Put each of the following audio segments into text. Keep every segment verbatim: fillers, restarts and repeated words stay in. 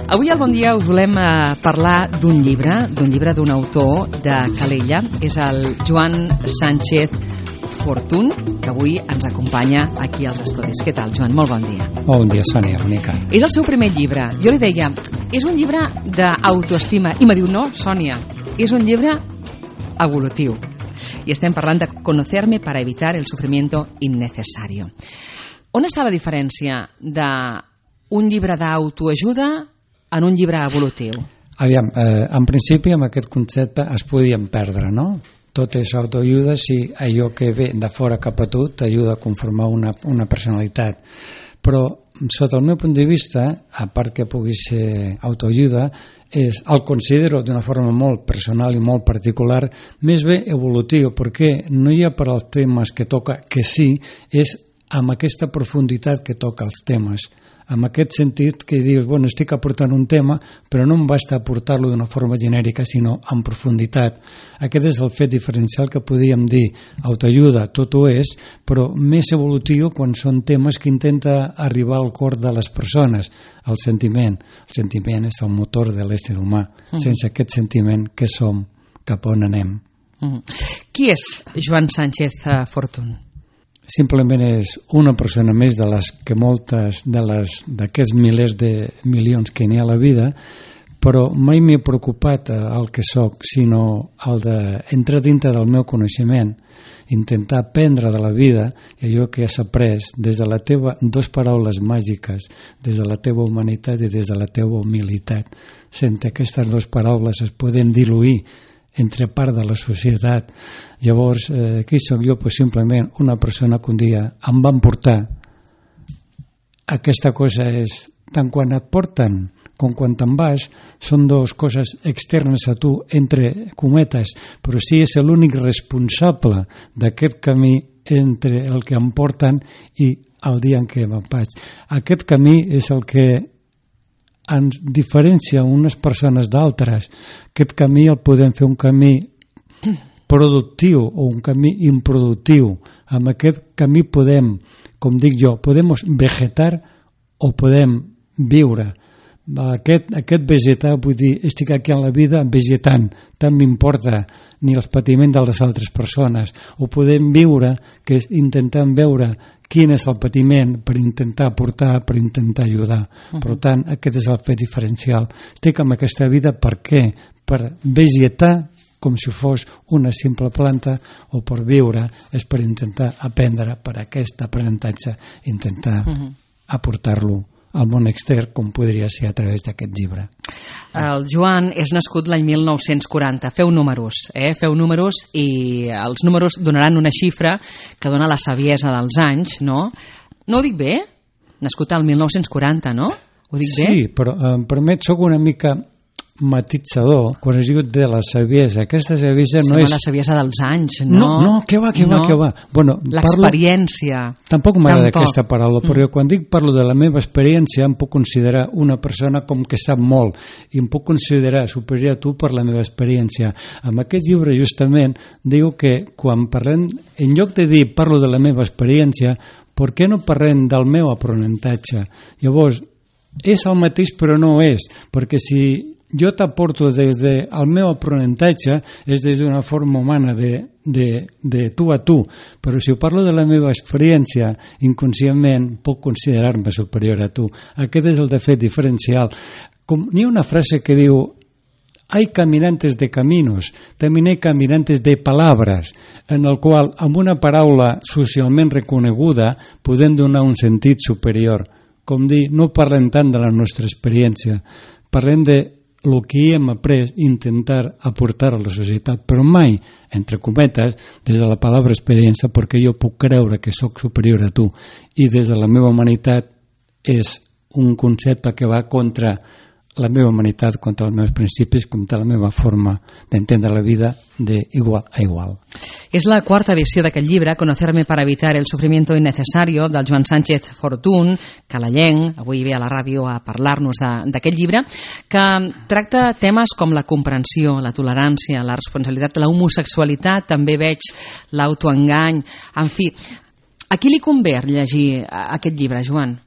Avui al Bon Dia us volem eh, parlar d'un llibre, d'un llibre d'un autor de Calella. És el Joan Sánchez Fortuny, que avui ens acompanya aquí als estudis. Què tal, Joan? Molt bon dia. Bon dia, Sònia, bonica. És el seu primer llibre. Jo li deia, és un llibre d'autoestima. I me diu, no, Sònia, és un llibre evolutiu. I estem parlant de conocerme para evitar el sufrimiento innecesario. On està la diferència d'un llibre d'autoajuda en un llibre evolutiu? Aviam, eh, en principi amb aquest concepte es podien perdre, no? Tot és autoajuda si allò que ve de fora cap a tu t'ajuda a conformar una, una personalitat. Però, sota el meu punt de vista, a part que pugui ser autoajuda, és, el considero d'una forma molt personal i molt particular, més bé evolutiu, perquè no hi ha per als temes que toca, que sí, és amb aquesta profunditat que toca els temes. En aquest sentit que dius, bueno, estic aportant un tema, però no em basta aportar-lo d'una forma genèrica, sinó en profunditat. Aquest és el fet diferencial que podríem dir. Autoajuda, tot ho és, però més evolutiu quan són temes que intenta arribar al cor de les persones. El sentiment. El sentiment és el motor de l'ésser humà. Uh-huh. Sense aquest sentiment, què som? Cap on anem? Uh-huh. Qui és Joan Sánchez Fortuny? Simplement és una persona més de les que moltes de les d'aquests milers de milions que n'hi ha a la vida, però mai m'he preocupat el que soc, sinó el d'entrar dintre del meu coneixement, intentar aprendre de la vida i allò que has après des de la teva dos paraules màgiques, des de la teva humanitat i des de la teva humilitat. Sense aquestes dues paraules es poden diluir entre part de la societat. Llavors, eh, qui soc jo? Pues simplement una persona que un dia em van portar. Aquesta cosa és, tant quan et porten com quan te'n vas, són dues coses externes a tu, entre cometes, però sí és l'únic responsable d'aquest camí entre el que em porten i el dia en què me'n vaig. Aquest camí és el que ens diferencia unes persones d'altres. Aquest camí el podem fer un camí productiu o un camí improductiu. Amb aquest camí podem, com dic jo, podem vegetar o podem viure. Aquest, aquest vegetar, vull dir, estic aquí en la vida vegetant, tant m'importa ni els patiments de les altres persones. O podem viure, que és intentant veure quin és el patiment per intentar aportar, per intentar ajudar. Uh-huh. Per tant, aquest és el fet diferencial. Estic en aquesta vida per què? Per vegetar com si fos una simple planta, o per viure és per intentar aprendre, per aquest aprenentatge, intentar uh-huh. aportar-lo al món extern, com podria ser a través d'aquest llibre. El Joan és nascut l'any mil nou-cents quaranta. Feu números, eh? Feu números i els números donaran una xifra que dona la saviesa dels anys, no? No ho dic bé? Nascut al mil nou-cents quaranta, no? Ho dic bé? Sí, però em permet, soc una mica matitzador quan es diu de la saviesa. Aquesta saviesa no és... la saviesa dels anys, no? No, no, què va, què va, què va. Bueno, l'experiència. Parlo... Tampoc m'agrada aquesta paraula, però mm. quan dic parlo de la meva experiència em puc considerar una persona com que sap molt i em puc considerar superior a tu per la meva experiència. Amb aquest llibre justament diu que quan parlem, en lloc de dir parlo de la meva experiència, per què no parlem del meu aprenentatge? Llavors, és el mateix però no és, perquè si jo t'aporto des del meu aprenentatge, és des d'una forma humana de, de, de tu a tu, però si parlo de la meva experiència, inconscientment puc considerar-me superior a tu. Aquest és el de fet diferencial. Com, n'hi ha una frase que diu: hay caminantes de caminos, también hay caminantes de palabras, en el qual amb una paraula socialment reconeguda podem donar un sentit superior. Com dir, no parlem tant de la nostra experiència, parlem de el que hem après, intentar aportar a la societat, però mai, entre cometes, des de la paraula experiència, perquè jo puc creure que sóc superior a tu, i des de la meva humanitat és un concepte que va contra la meva humanitat, contra els meus principis, contra la meva forma d'entendre la vida d'igual a igual. És la quarta edició d'aquest llibre, Conocerme para evitar el sufrimiento innecesario, del Joan Sánchez Fortuny, calellenc, avui ve a la ràdio a parlar-nos d'aquest llibre, que tracta temes com la comprensió, la tolerància, la responsabilitat, la homosexualitat, també veig l'autoengany, en fi. A qui li convé llegir aquest llibre, Joan?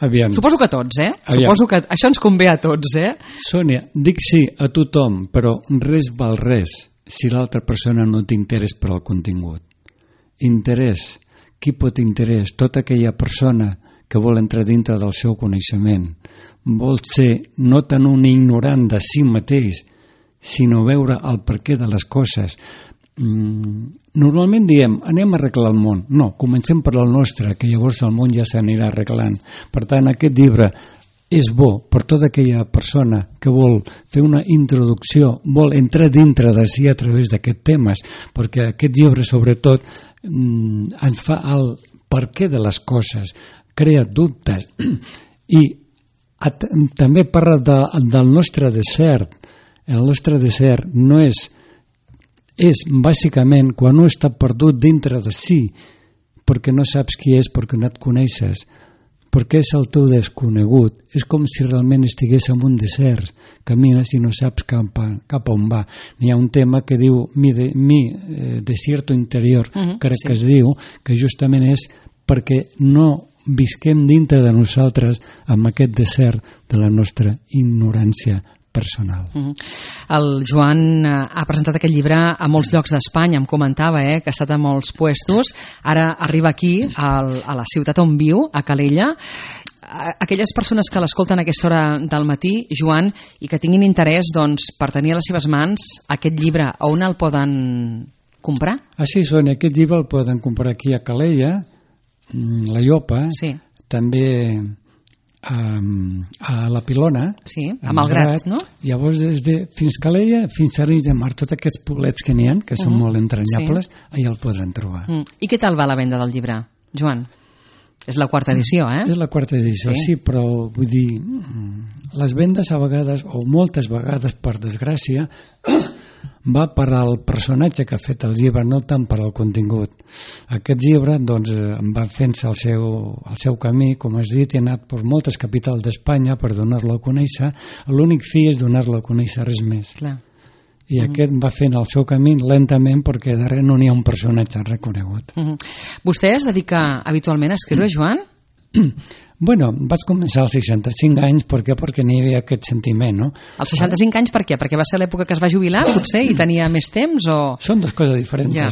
Aviam. Suposo que a tots, eh? Aviam. Suposo que això ens convé a tots, eh? Sònia, dic sí a tothom, però res val res si l'altra persona no té interès per al contingut. Interès. Qui pot interès? Tota aquella persona que vol entrar dintre del seu coneixement. Vol ser no tant un ignorant de si mateix, sinó veure el perquè de les coses. Mm, normalment diem, anem a arreglar el món. No, comencem per el nostre, que llavors el món ja s'anirà arreglant. Per tant, aquest llibre és bo per tota aquella persona que vol fer una introducció, vol entrar dintre de si a través d'aquests temes, perquè aquest llibre, sobretot, ens fa el perquè de les coses, crea dubtes i at, també parla de, del nostre desert. El nostre desert no és és bàsicament quan un està perdut dintre de si perquè no saps qui és, perquè no et coneixes, perquè és el teu desconegut. És com si realment estigués en un desert, camines i no saps cap a, cap a on va. N'hi ha un tema que diu mi, de, mi eh, desierto interior, uh-huh, crec sí. que es diu, que justament és perquè no visquem dintre de nosaltres amb aquest desert de la nostra ignorància personal. Uh-huh. El Joan ha presentat aquest llibre a molts llocs d'Espanya, em comentava, eh, que ha estat a molts puestos, ara arriba aquí, al, a la ciutat on viu, a Calella. Aquelles persones que l'escolten a aquesta hora del matí, Joan, i que tinguin interès doncs, per tenir a les seves mans aquest llibre, on el poden comprar? Ah, sí, Sònia, aquest llibre el poden comprar aquí a Calella, la Llopa, sí. també a, a la Pilona, sí, a Malgrat, no? Llavors des de fins Calella fins a Arenys de Mar, tots aquests poblets que n'hi ha, que són uh-huh. molt entranyables, sí. allà el podran trobar. Uh-huh. I què tal va la venda del llibre, Joan? És la quarta edició, eh? És la quarta edició, sí, sí, però vull dir, les vendes a vegades, o moltes vegades, per desgràcia, va per al personatge que ha fet el llibre, no tant per al contingut. Aquest llibre, doncs, va fent-se el seu, el seu camí, com has dit, i ha anat per moltes capitals d'Espanya per donar-lo a conèixer. L'únic fi és donar-lo a conèixer, res més. Clar. I uh-huh. aquest va fent el seu camí lentament perquè darrere no n'hi ha un personatge reconegut. Uh-huh. Vostè es dedica habitualment a escriure, Joan? Bueno, vaig començar als seixanta-cinc anys, per què? Perquè n'hi havia aquest sentiment, no? Als seixanta-cinc anys per què? Perquè va ser l'època que es va jubilar, potser, i tenia més temps, o...? Són dues coses diferents. Ja.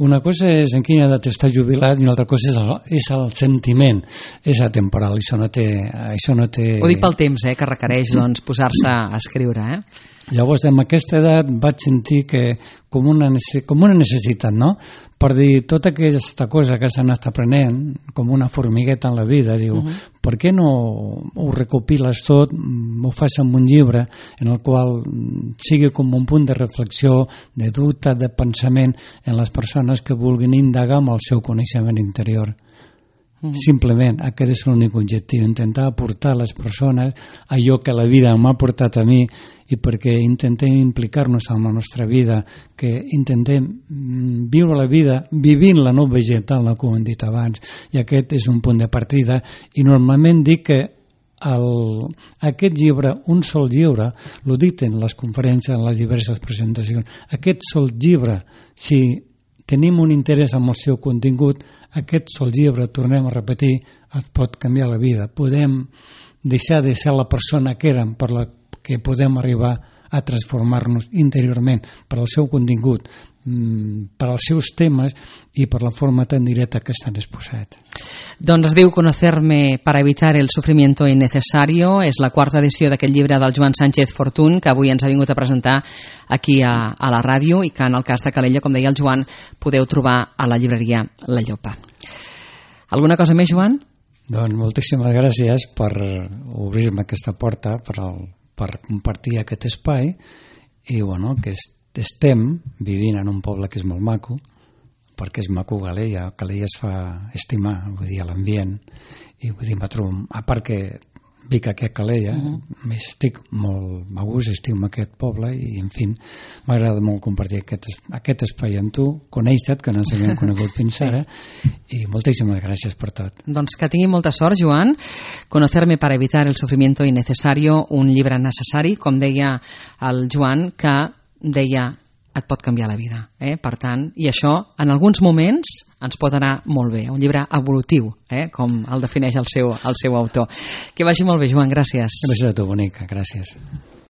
Una cosa és en quina edat estàs jubilat i una altra cosa és el, és el sentiment. És atemporal, això no té... Això no té... Ho dic pel temps, eh, que requereix doncs, posar-se a escriure, eh? Llavors, amb aquesta edat vaig sentir que com una, com una necessitat, no? Per dir, tota aquesta cosa que s'ha anat aprenent, com una formigueta en la vida, diu, uh-huh. per què no ho recopiles tot, ho fas amb un llibre en el qual sigui com un punt de reflexió, de dubte, de pensament en les persones que vulguin indagar amb el seu coneixement interior. Simplement, aquest és l'únic objectiu, intentar aportar a les persones allò que la vida m'ha portat a mi i perquè intentem implicar-nos en la nostra vida, que intentem viure la vida vivint-la, no vegetant-la, com hem dit abans, i aquest és un punt de partida. I normalment dic que el, aquest llibre, un sol llibre, l'ho dit en les conferències, en les diverses presentacions, aquest sol llibre, si tenim un interès en el seu contingut, aquest sol llibre, tornem a repetir, et pot canviar la vida. Podem deixar de ser la persona que érem per la que podem arribar a transformar-nos interiorment per al seu contingut, per als seus temes i per la forma tan directa que estan exposats. Doncs es diu Conocerme para evitar el sufrimiento innecesario. És la quarta edició d'aquest llibre del Joan Sánchez Fortuny, que avui ens ha vingut a presentar aquí a, a la ràdio i que en el cas de Calella, com deia el Joan, podeu trobar a la llibreria La Llopa. Alguna cosa més, Joan? Doncs moltíssimes gràcies per obrir-me aquesta porta, per, el, per compartir aquest espai i bueno, que estem vivint en un poble que és molt maco, perquè és maco Calella, Calella es fa estimar, vull dir, l'ambient, i vull dir, a part que vic aquí a Calella, uh-huh. estic molt a gust, estic en aquest poble i, en fi, m'agrada molt compartir aquest, aquest espai amb tu, conèixer-te, que no ens havíem conegut fins ara, i moltíssimes gràcies per tot. Doncs que tingui molta sort, Joan. Conocerme para evitar el sufrimiento innecesario, un llibre necessari, com deia el Joan, que deia et pot canviar la vida. Eh? Per tant, i això en alguns moments ens pot anar molt bé. Un llibre evolutiu, eh? Com el defineix el seu, el seu autor. Que vagi molt bé, Joan, gràcies. Gràcies a tu, bonica, gràcies.